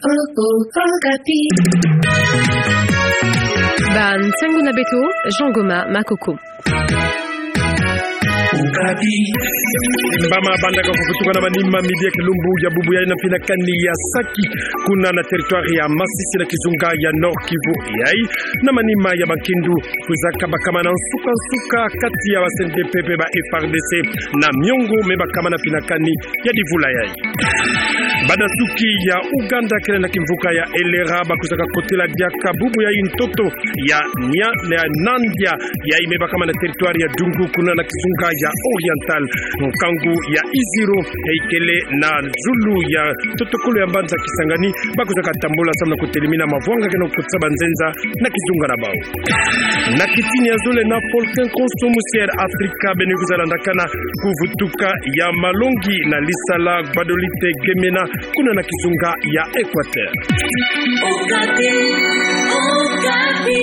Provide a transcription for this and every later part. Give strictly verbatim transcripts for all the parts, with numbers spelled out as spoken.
Okapi. Ba nsangu na beto, Jean Goma Makoko. Okapi. Mbama bandaka kuvutuka na manima midi ya kilumbu ya bubu yayi na mfinakani ya Sake, kuna na territoire ya Masisi na kizunga ya Nord-Kivu yayi, na manima ya bankindu kwiza kabakama na nsuka-nsuka kati ya ba C N D P pe ba F A R D C na miongo mebakama na mfinakani ya divula yayi. Bana suki ya Ouganda kele na kimvuka ya Elera bakwizaka kotela diaka bubu yayi ntoto ya nia na nandia yayi mebakama na territoire ya Dungu kuna na kizunga ya Oriental. Nkangu ya Iziro yayi kele na zulu ya totokolo ya mbanza Kisangani, bakwizaka tambula samu na kotelimina mavwanga kena kukotisa banzenza na kizunga na bawu. Na kitini ya zole na volcan Konso musi ya Afrika beno kwiza landakana kuvutuka ya malongi na lisala Gbadolite Gemena kuna na kizunga ya Equateur. Okapi, Okapi.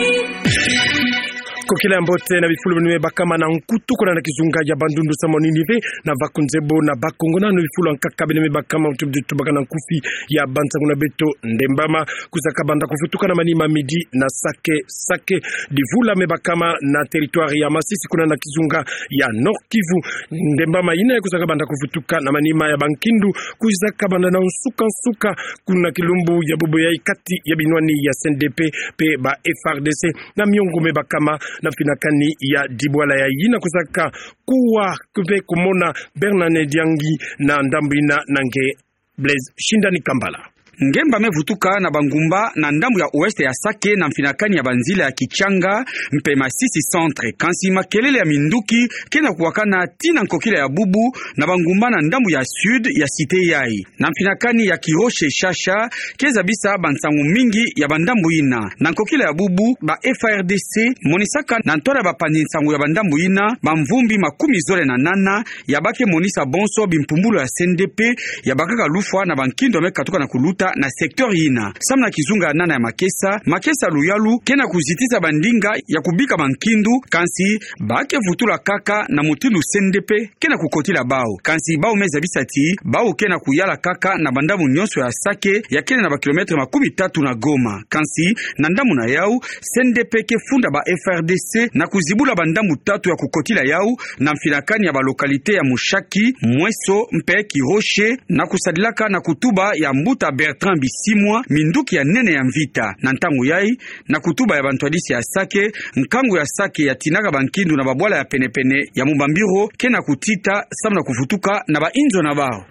Kokila ya mbote na bifulu beno mebakama na nkutu kuna na kizunga ya Bandundu samu na nini ve, na bakunzebo na Bakongo nanu bifulu ya nkaka beno mebakama, muti tubaka na nkufi ya bansangu na beto. Ndembama kwiza kabanda kuvutuka na manima midi na Sake, Sake divula mebakama na territoire ya Masisi kuna na kizunga ya Nord-Kivu. Ndembama yina kwiza kabanda kuvutuka na manima ya bankindu kwiza kabanda na nsuka-nsuka kuna kilumbu ya bubu yayi kati ya binwani ya C N D P pe ba F A R D C na miongo mebakama na mfinakani ya dibwala yayi. Yina kwizaka kuwa mpe kumona Bernard Nediangi na ndambu yina na nge Blaise Shindani Kambala. Ngemba mevutuka na bangumba na ndambu ya ouest ya Sake na mfinakani ya banzila ya Kichanga mpe Masisi Centre. Kansi makelele ya minduki kena kuwakana tii na nkokila ya bubu na bangumba na ndambu ya sud ya cité yayi. Na mfinakani ya Kiroche Shasha, keza bisa bansangu mingi ya bandambu yina. Na nkokila ya bubu, ba F A R D C monisaka na ntwala ya bapanzi nsangu ya bandambu yina bamvumbi makumi zole na nana ya ba ke monisa bonso bimpumbulu ya C N D P ya bakaka lufwa na bankindu ya mekatuka na kuluta na secteur yina. Samu na kizunga ya nana ya makesa, makesa luyalu kena kuzitisa bandinga ya kubika bankindu, kansi ba ke vutula kaka na mutindu C N D P kena kukotila bawu. Kansi bawu meza bisa ti bawu kena kuyala kaka na bandambu nyonso ya Sake ya kena na ba kilomètre makumi tatu na Goma. Kansi na ndambu na yawu, C N D P ke funda ba F A R D C na kuzibula bandambu tatu ya kukotila yawu na mfinakani ya ba localité ya Mushaki, Mweso mpe Kiroche, na kusadilaka na kutuba ya mbuta Bertrand Bisimwa, minduki ya nene ya mvita. Na ntangu yayi, na kutuba ya bantwadisi ya Sake, nkangu ya Sake ya tinaka bankindu na babwala ya penepene ya Mubambiro kena kutita samu na kuvutuka na bainzo na bawu.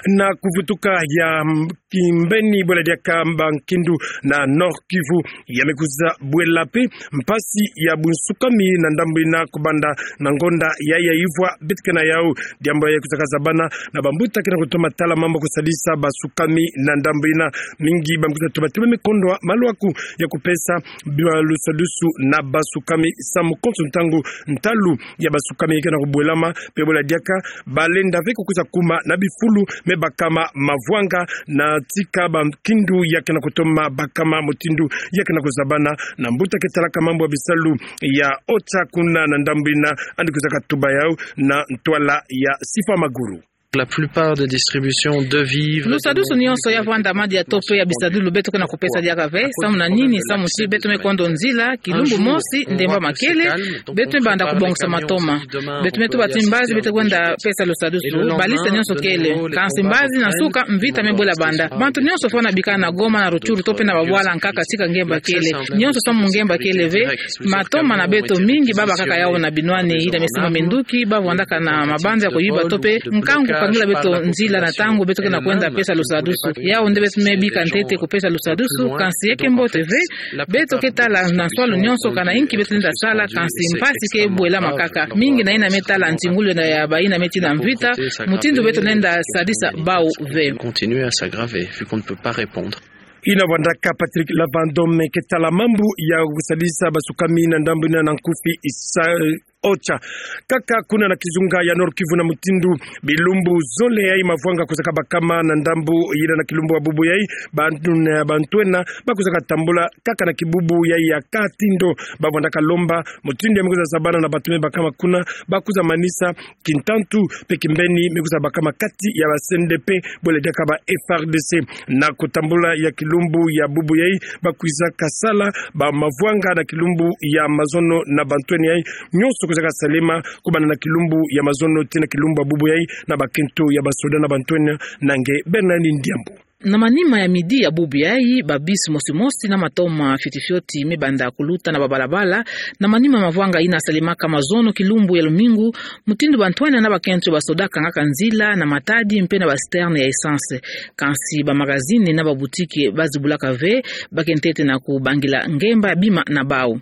Na kuvutuka ya, mm, kimbeni bwela diaka bankindu na Nord-Kivu ya mekwiza bwela mpe mpasi ya bunsukami na ndambu yina kubanda na ngonda yayi ya ivwa beto ke na yawu. Diambu yayi kwizaka zabana na bambuta kena kutoma tala mambu kusadisa basukami na ndambu yina. Mingi bambuta toma toma mekondwa maluaku ya kupesa ba lusadusu na basukami samu konso ntangu ntalu ya basukami kena kubwelama, mpe bwela diaka balenda ve kukwiza kuma na bifulu mebakama mavwanga na tika bankindu ya kena kutoma bakama mutindu ya kena kuzabana. Na mbuta ke talaka mambu ya bisalu ya OCHA kuna na ndambu yina, yandi kwizaka tuba yawu na ntwala ya Sifa Maguru. La plupart des distributions de vivres, de nourriture, de médicaments, de produits alimentaires. Lusadusu nyonso ya vwanda, madia to mpe ya bisadulu beto kena kupesa diaka ve. Samu na nini? Samu ti beto mekondo nzila kilumbu mosi, ndemba ma kele, beto mebanda kubongisa matoma. Beto metuba ti mbazi beto kwenda pesa lusadusu, baliste nyonso kele. Kansi mbazi na nsuka mvita mebwela banda. Bantu nyonso fwana bikana na Goma, na Rutshuru to mpe na babwala nkaka tika ngemba kele. Nyonso samu ngemba kele ve. Matoma na beto mingi babakaka yawu na binwani yina mesimba minduki, bavwandaka na mabanza ya kuyiba to mpe nkangu kukangila beto nzila na ntangu beto kena kwenda pesa lusadusu. Yawu nde beto mebika ntete kupesa lusadusu, kansi yeke mbote ve. Beto ke tala na nswalu nyonso kana inki beto lenda sala, kansi mpasi ke bwelama kaka. Mingi na yina metala ntingulu ya bayina meti na mvita, mutindu beto lenda sadisa bawu ve. Continuer à s'aggraver, vu qu'on ne peut pas répondre. Yina vwandaka Patrick Lavandome ke tala mambu ya kusadisa basukami na ndambu yina na nkufi isa, OCHA. Kaka kuna na kizunga ya Nord-Kivu na mutindu bilumbu zole yai mavwanga kwizaka bakama na ndambu yina na kilumbu ya bubu yai, bantu, eh, bantu ena bakwizaka tambula kaka na kibubu yai ya katindo. Bavwandaka lomba mutindu ya me kwiza zabana na bantu me bakama kuna, bakwiza manisa kintantu mpe kimbeni me kwiza bakama kati ya ba CNDP bole diaka ba FRDC. Na kutambula ya kilumbu ya bubu yai, bakwizaka sala ba mavwanga na kilumbu ya mazono na bantu ena yai nyonso kwizaka salema kubanda na kilumbu ya mazono tii na kilumbu ya bubu yai na bakento ya basoda na bantu ena. Na nge Bernard Ndiambu. Na manima ya midi ya bubu yai, ba bus mosi-mosi na matoma fioti-fioti me banda kuluta na babalabala, na manima mavwanga yina salemaka mazono kilumbu ya lumingu, mutindu bantu ena na bakento ya basoda kangaka nzila na matadi mpe na ba citerne ya essence. Kansi ba magazini na ba boutique bazibulaka ve, bakentete na kubangila ngemba ya bima na bau.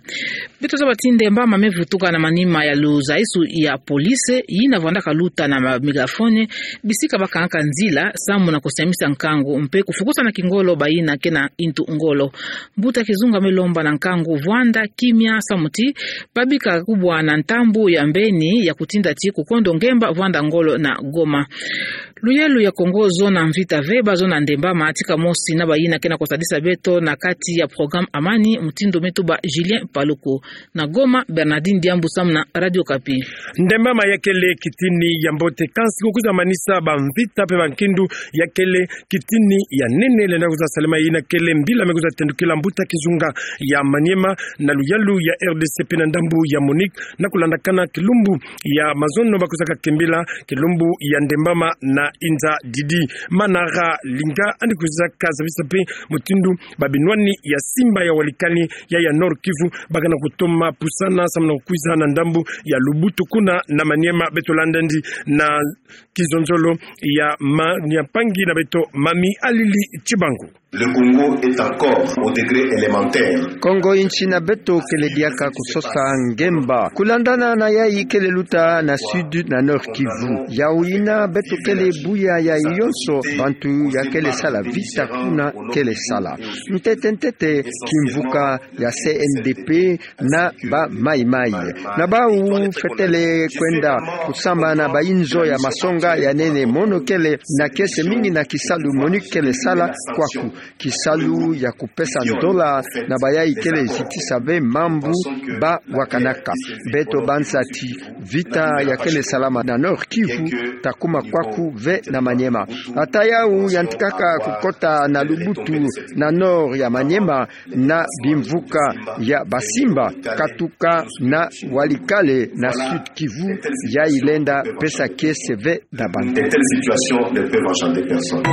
Beto zaba ti ndemba ma me vutuka na manima ya luzaisu ya police, yina vwandaka luta na ba mégaphone, bisika bakangaka nzila, samu na kusiamisa nkangu, mpe kufukusa na kingolo bayina ke na intu ngolo. Mbuta kizunga me lomba na nkangu vwanda kimia samu ti babika kubwa na ntambu ya mbeni ya kutinda ti kukondo ngemba vwanda ngolo na Goma. Luyalu ya Kongo zo na mvita ve, ba zo na ndemba ma tika mosi na bayina ke na kusadisa beto na kati ya programme Amani, mutindu me tuba Julien Paluku. Na Goma, Bernardine Diambu samu na Radio Okapi. Ndemba ma ya kele kitini ya mbote, kansi kukwiza manisa ba mvita mpe ba nkindu ya kele kitini ya nene lenda kwiza salema. Yina kele mbila me kwiza tendukila mbuta kizunga ya Maniema na luyalu ya RDC mpe na ndambu ya MONUC, na kulandakana kilumbu ya mazono bakwizaka kimbila kilumbu ya ndemba ma na inza didi. Manara Linga yandi kwizaka zabisa mpe mutindu ba binwani ya Simba ya Walikale ya ya Nord-Kivu baka na kutoma pusana samu na kukwiza na ndambu ya Lubutu kuna na Maniema. Beto landa yandi na kizonzolo ya ma-, ya mpangi na beto Mami Alili Chibangu. Le Congo est encore au degré élémentaire. Kongo insi na beto kele diaka kusosa ngemba. Kulandana na yai kele luta na Sud na Nord-Kivu. Yawu yina beto kele buya yai yonso, bantu ya kele sala vita kuna kele sala. Ntete-ntete kimvuka ya CNDP na ba Mai-Mai. Na bau fwetele kwenda kusamba na ba inzo ya masonga ya nene mono kele na kiese mingi na kisalu MONUC kele sala kwaku. Kisalu ya kupesa ndola na bayai kele zitisa ve mambu ba wakanaka. Beto banza ti vita ya kele salama na Nord-Kivu ta kuma kwaku ve na Maniema. Ata yawu yantikaka kukota na Lubutu na Nord ya Maniema, na bimvuka ya Basimba, katuka na Walikale na Sud-Kivu, yai lenda pesa kiese ve na bantu. De telles situations ne peuvent enchanter personne.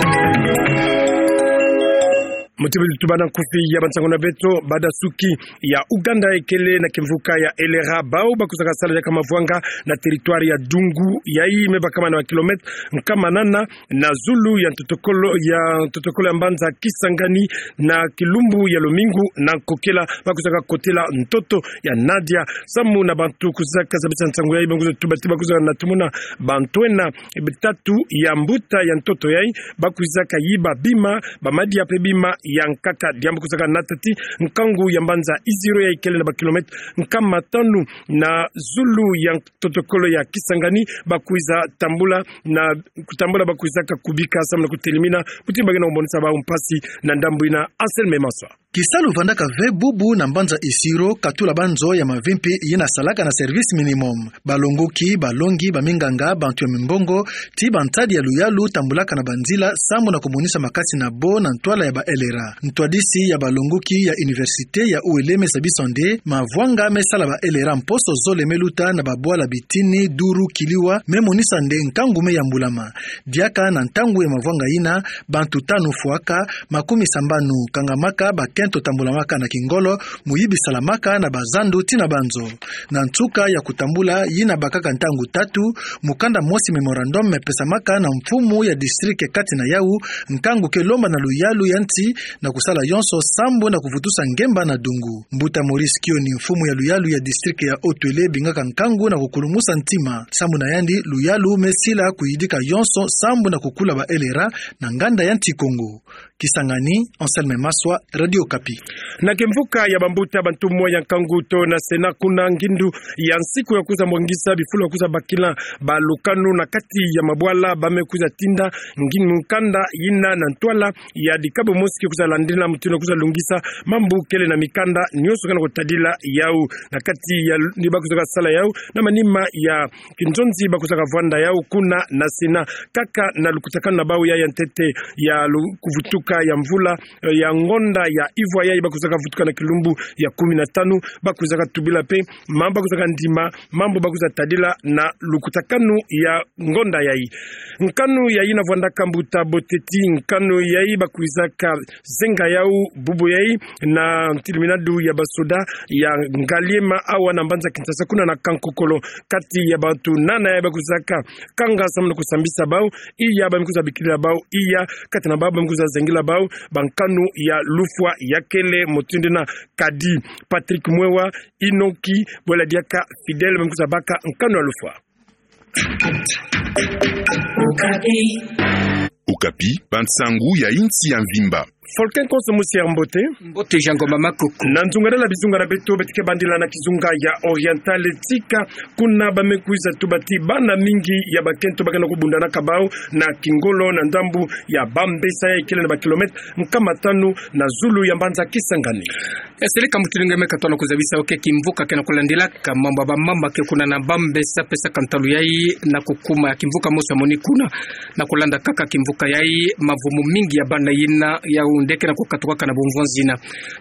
Mu ti beto tubana nkufi ya bansangu na beto, badasuki ya Ouganda ikele na kimvuka ya Elera, bau bakwizaka sala diaka mavwanga na territoire ya Dungu, yai me bakama na kilomètre nkama nana na zulu ya ntotokolo, ya ntotokolo ya mbanza Kisangani, na kilumbu ya lumingu na nkokela, bakwizaka kotela ntoto ya Nadia. Samu na bantu kwizaka zabisa nsangu yai, bantu kwizaka tuba ti bakwizaka na tumona bantu ena, eh, tatu ya mbuta ya ntoto yai, bakwizaka yiba bima, ba madia mpe bima ya nkaka. Diambu kwizaka nata ti nkangu ya mbanza Isiro yai kele na ba kilomètre nkama tanu na zulu ya ntotokolo ya Kisangani, bakwiza tambula na kutambula, bakwizaka kubika samu na kutelimina mutindu ba ke na kumonisa bau mpasi na ndambu yina. Anselme Maswa. Kisalu vandaka ve bubu na mbanza Isiro, katula banzo ya mavimpi yina salaka na service minimum. Balongoki, balongi, baminganga, bantu ya mimbongo, ti bantadi ya luyalu tambulaka na banzila samu na kumonisa makasi na bo na ntwala ya ba L R A. Ntwadisi ya balongoki ya université ya U L M zabisa nde mavwanga me sala ba L R A mposo zole me luta na babwala bitini, duru, kiliwa, me monisa nde nkangu me yambulama. Diaka na ntangu ya mavwanga yina, bantu tanu fwaka, makumisambanu kangamaka, bakento tambulamaka na kingolo, muyibi salamaka na bazandu ti na banzo. Na nsuka ya kutambula yina bakaka ntangu tatu, mukanda mosi, mémorandum, me pesamaka na mfumu ya district kati na yau, nkangu ke lomba na luyalu ya nsi na kusala yonso sambu na kuvutusa ngemba na Dungu. Mbuta Maurice Kioni, mfumu ya luyalu ya district ya Haut-Uele, bingaka nkangu na kukulumusa ntima. Sambu na yandi, luyalu me sila kuyidika yonso sambu na kukula ba L R A na nganda ya nsi Kongo. Kisangani, Anselme Maswa, Radio Okapi. Na kimvuka ya bambuta, bantu mosi ya nkangu to na Sénat kuna ngindu ya nsiku ya kwiza mwangisa bifulu ya kwiza bakila balukanu na kati ya mabwala, ba me kwiza tinda ngindu nkanda yina na ntwala ya dikabu mosi ke kwiza landila mutindu ya kwiza lungisa mambu kele na mikanda nyonso ke na kutadila yau. Na kati ya l-, ni ba kwizaka sala yau, na manima ya kinzonzi ba kwizaka vwanda yau kuna na Sénat, kaka na lukutakanu na bau ya, ya ntete ya lu-, kuvutuka ya mvula, eh, ya ngonda ya ivwa yayi ba kwizaka vutuka na kilumbu ya kumi na tanu, ba kwizaka tubila mpe mambu ba kwizaka ndima, mambu ba kwiza tadila na lukutakanu ya ngonda yayi. Nkanu yayi na vwandaka mbuta Boteti, nkanu yayi ba kwizaka zenga yau bubu yayi na ntiliminadu ya basoda ya Ngaliema awa na mbanza Kinshasa kuna na Kankokolo. Kati ya bantu nana yayi ba kwizaka kanga samu na kusambisa bau, iya ba me kwiza bikila bau, iya kati na bau ba me kwiza zengila bau bankanu ya lufwa ya kele mutindu yina: Kadi Patrick Mwewa, Inoki Bwela Diaka, Fidèle, ba me kwiza baka nkanu ya lufwa. Okapi, bansangu ya insi ya mvimba. Volcan Konso, mosi ya mbote. Mbote Jean Ngoma Makoko. Na nzungadala bizunga na beto, beto ke bandila na kizunga ya Oriental, tika kuna ba me kwiza tuba ti bana mingi ya bakento ba ke na kubundanaka bau na kingolo na ndambu ya Bambesa yayi kele na ba kilomètre nkama tanu na zulu ya mbanza Kisangani. Ya seleka mutindu nge me katoa na kuzabisa yo ke kimvuka ke na kulandilaka mambu ya bamama ke kuna na Bambesa pesaka ntalu yayi na kukuma ya kimvuka mosi ya moni kuna. Na kulanda kaka kimvuka yayi, mavumu mingi ya bana yina yau nde ke na kukatukaka na bumvonzi yina.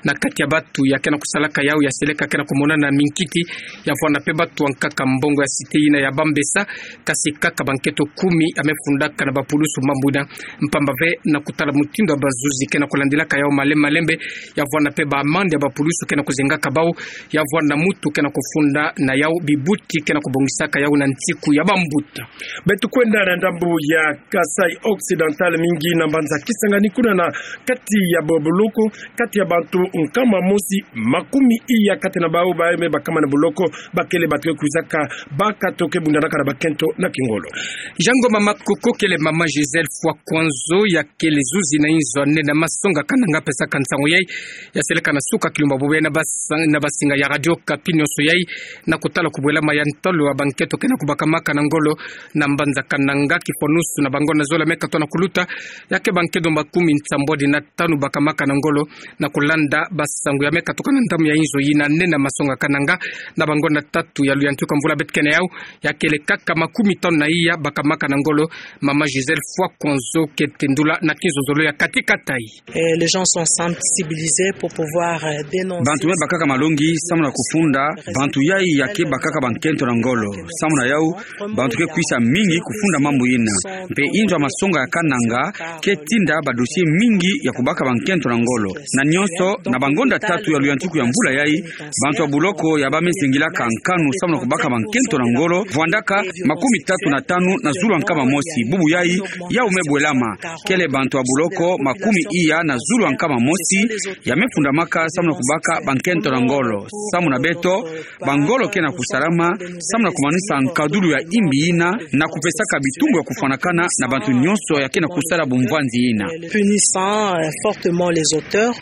Na kati ya bantu ya ke na kusalaka yau, ya seleka ke na kumonana minkiti, ya vwanda mpe bantu ya nkaka mbongo ya cité yina ya Bambesa, kasi kaka bankento kumi ya me fundaka na bapulusu mambu yina, mpamba ve na kutala mutindu ya bazuzi ke na kulandilaka yau malembe malembe, ya vwanda mpe ba amande ya bapulusu ke na kuzengaka bau, ya vwanda mutu ke na kufunda na yau bibuti ke na kubongisaka yau na nsiku ya bambuta. Beto kwenda na ndambu ya Kasaï Occidental, mingi na mbanza Kisangani, kuna na kati ya ba boloko, kati ya bantu nkama mosi makumi iya kati na bau ba me bakama na boloko, ba kele bantu ke kwizaka baka to ke bundanaka na bakento na kingolo. Jean Ngoma Makoko, kele mama Gisèle Fwa Kwanzo, ya kele zuzi na inzo ya nene ya masonga Kananga pesaka nsangu yayi, ya seleka na suka kilumbu bubu yayi na bas-, na basinga ya Radio Okapi nyonso yayi, na kutala kubwelama ya ntalu ya bankento ke na kubakamaka na ngolo na mbanza Kananga, kifwanusu na bangonda zola me katoa na kuluta, ya ke bankento makumi nsambwadi na tanu bakamaka na ngolo, na kulanda basangu ya me katuka na ndambu ya inzo yina nene ya masonga Kananga, na bangonda tatu ya luyantika mvula beto ke na yau, ya kele kaka makumi tanu na iya bakamaka na ngolo. Mama Gisèle Fwa Kwanzo ke tendula na kinzonzolo ya kati katayi. Eh, les gens sont sensibilisés pour pouvoir, euh, dénoncer. Bantu me bakaka malongi samu na kufunda bantu yayi ya ke bakaka bankento na ngolo. Samu na yau, bantu ke kwisa mingi kufunda mambu yina. Mpe inzo ya masonga ya Kananga ke tinda ba dossier mingi ya kubaka bankento na ngolo. Na nyonso, na bangonda tatu ya luyantiku ya mvula yayi, bantu ya buloko ya ba me zingilaka nkanu samu na kubaka bankento na ngolo vwandaka makumi tatu na tanu na zulu ya nkama mosi. Bubu yayi, yau me bwelama. Kele bantu ya buloko makumi iya na zulu ya nkama mosi ya me fundamaka samu na kubaka bankento na ngolo. Samu na beto, bangolo ke na kusalama samu na kumanisa nkadulu ya imbi yina, na kupesaka bitumbu ya kufwanakana na bantu nyonso ya ke na kusala bumvwanzi yina. Punissant, euh, fortement les auteurs.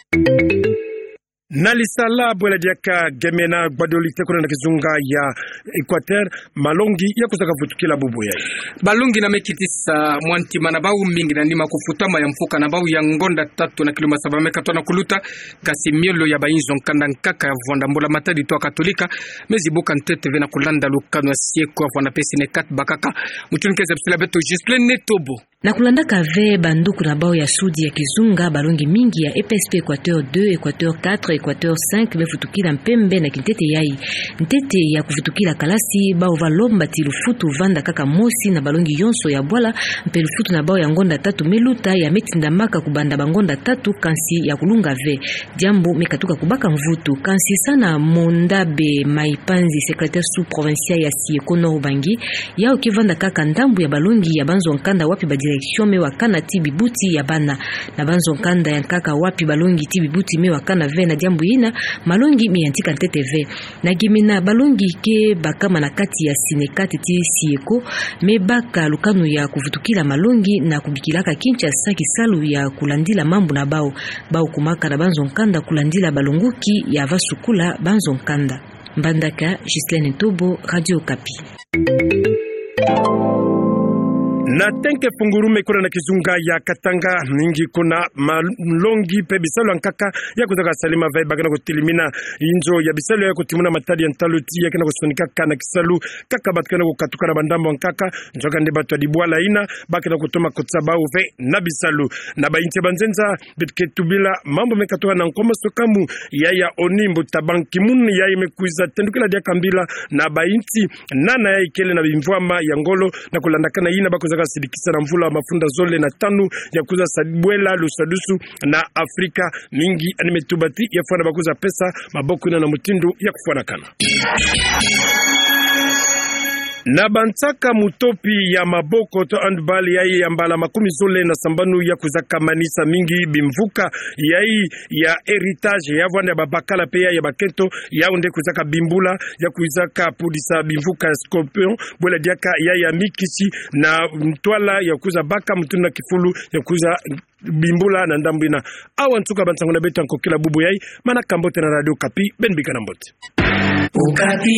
Na Lisala, bwela diaka Gemena, Gbadolite, kuna na kizunga ya Equateur, malongi ya kusaka vutukila bubu yayi. Balongi na me kitisa mwa ntima na bau mingi na nima kufutama ya mfuka na bau ya ngonda tatu na kilumbu saba me katoa na kuluta, kasi miolo ya bainzo nkanda nkaka ya vwanda mbula matadi to ya Katolika, me zibuka ntete ve na kulanda lukanu ya sieko ya vwanda pe Sinekat bakaka. Mutindu ke zabisila beto Ghislaine Netobo. Na kulandaka ve banduku na bau ya sudi ya kizunga, balongi mingi ya E P S P Equateur deux, Equateur quatre, Equateur cinq me vutukila mpembe na kintete yayi. Ntete ya kuvutukila kalasi, bau va lomba ti lufutu vanda kaka mosi na balongi yonso ya bwala, mpe lufutu na bau ya ngonda tatu me luta ya me tindamaka kubanda bangonda tatu, kansi ya kulunga ve. Diambu me katuka kubaka mvutu. Kansi sana Mondabe Maipanzi, secrétaire sous-provincial ya Sieko Nord-Ubangi, yau ke vanda kaka ndambu ya balongi ya banzo nkanda wapi ba direction me wakana ti bibuti ya bana. Na banzo nkanda ya nkaka wapi balongi ti bibuti me wakana ve na Ndambu yina, malongi me yantika ntete ve. Na gemena balongi ke bakama na kati ya Synecat ti SYECO, me baka lukanu ya kuvutukila malongi na kubikilaka Kinshasa kisalu ya kulandila mambu na bau. Bau kumaka na banzo nkanda kulandila balongoki ya va sukula banzo nkanda. Mbandaka, Ghislaine Ntobo, Radio Okapi. Na tenke fungulu me kuna na kizunga ya Katanga, mingi kuna malongi pe bisalu ya nkaka ya kwiza kasalama ve, ba ke na kutelimina inzo ya bisalu ya kutimuna matadi ya ntalu ti ya ke na kusonikaka na kisalu, kaka batu ke na kukatuka na bandambu ya nkaka, nzoka nde batu ya dibwala yina ba ke na kutoma kotsa bau ve na bisalu. Na bayinti ya banzenza, beto ke tubila mambu me katuka na nkwa maswekamu, yaya ONU, mbuta Ban Ki-moon, yaya me kwiza tendukila diaka mbila na bayinti nana yai kele na bimvwama ya ngolo, na kulandakana yina ba kwizaka sidikisa na mvula mafunda zole na tanu ya kwiza sa bwela lusadusu na Afrika, mingi yandi me tuba ti ya fwana ba kwiza pesa maboko yina na mutindu ya kufwanakana. Na bansaka mutopi ya maboko to handball, yai ya mbala makumi zole na sambanu ya kwizaka manisa mingi bimvuka, yai ya héritage ya vwanda ya babakala pe yai ya bakento, yau nde kwizaka bimbula, ya kwizaka pudisa bimvuka ya scorpion, bwela diaka yai ya mikisi, na ntwala ya kwiza baka mutindu na kifulu ya kwiza bimbula na ndambu yina. Awa nsuka bansangu na beto ya nkokila bubu yai, manaka mbote na Radio Okapi, beno bika na mbote. Okapi.